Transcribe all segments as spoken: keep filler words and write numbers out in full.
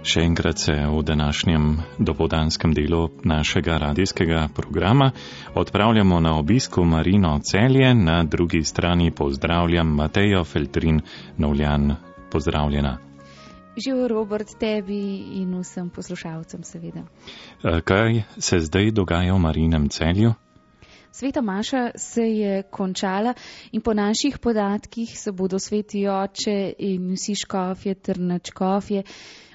Še enkrat se v današnjem dopoldanskem delu našega radijskega programa odpravljamo na obisku Marino Celje, na drugi strani pozdravljam Matejo Feltrin Novljan. Pozdravljena. Živijo, Robert, tebi in vsem poslušalcem seveda. Kaj se zdaj dogaja v Marinem Celju? Sveta maša se je končala in po naših podatkih se bodo sveti oče in vsi škofje ter nadškofje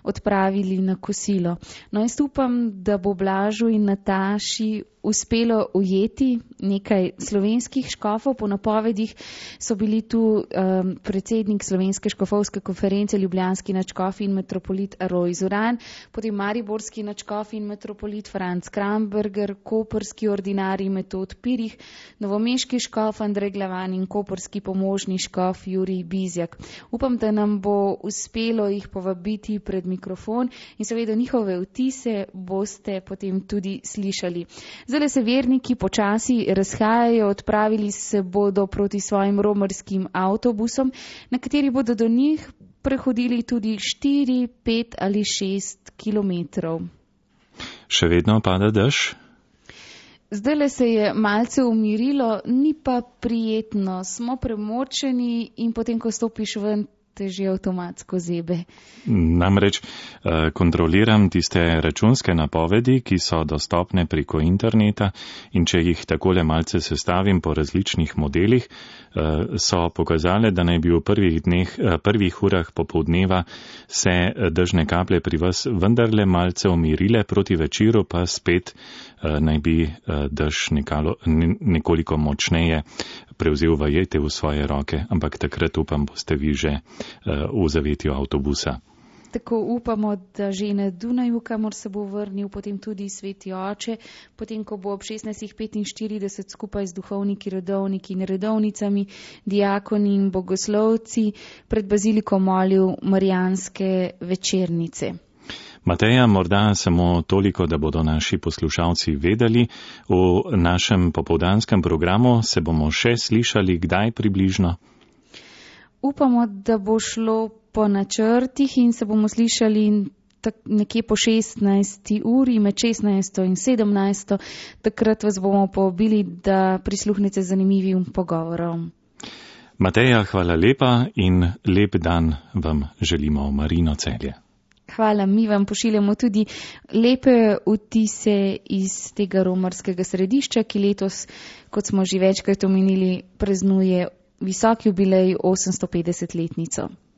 odpravili na kosilo. No, jaz upam, da bo Blažu in Nataši uspelo ujeti nekaj slovenskih škofov. Po napovedih so bili tu um, predsednik Slovenske škofovske konference, ljubljanski nadškof in metropolit Rojz Uran, potem mariborski nadškof in metropolit Franc Kramberger, koprski ordinarij Metod Pirih, novomeški škof Andrej Glavan in koprski pomožni škof Jurij Bizjak. Upam, da nam bo uspelo jih povabiti pred mikrofon in seveda njihove vtise boste potem tudi slišali. Zdaj se verniki počasi razhajajo, odpravili se bodo proti svojim romarskim avtobusom, na kateri bodo do njih prehodili tudi štiri, pet ali šest kilometrov. Še vedno pada dež? Zdajle se je malce umirilo, ni pa prijetno. Smo premočeni in potem, ko stopiš ven, te že avtomatsko zebe. Namreč kontroliram tiste računske napovedi, ki so dostopne preko interneta, in če jih takole malce sestavim po različnih modelih, so pokazale, da naj bi v prvih dneh, prvih urah popoldneva se dežne kaplje pri vas vendarle malce umirile, proti večeru pa spet naj bi dež nekalo, nekoliko močneje prevzel vajete v svoje roke, ampak takrat upam, boste vi že v zavetju avtobusa. Tako upamo, da že na Dunaju, kamor se bo vrnil potem tudi sveti oče, potem, ko bo ob šestnajst petinštirideset skupaj z duhovniki, redovniki in redovnicami, diakoni in bogoslovci pred baziliko molil marijanske večernice. Mateja, morda samo toliko, da bodo naši poslušalci vedeli, v našem popoldanskem programu se bomo še slišali kdaj približno? Upamo, da bo šlo po načrtih in se bomo slišali nekje po šestnajsti uri, med šestnajsto in sedemnajsto. Takrat vas bomo povabili, da prisluhnete zanimivim pogovorom. Mateja, hvala lepa in lep dan vam želimo v Marino Celje. Hvala, mi vam pošiljamo tudi lepe vtise iz tega romarskega središča, ki letos, kot smo že večkrat omenili, praznuje visoki jubilej osemsto petdeset letnico.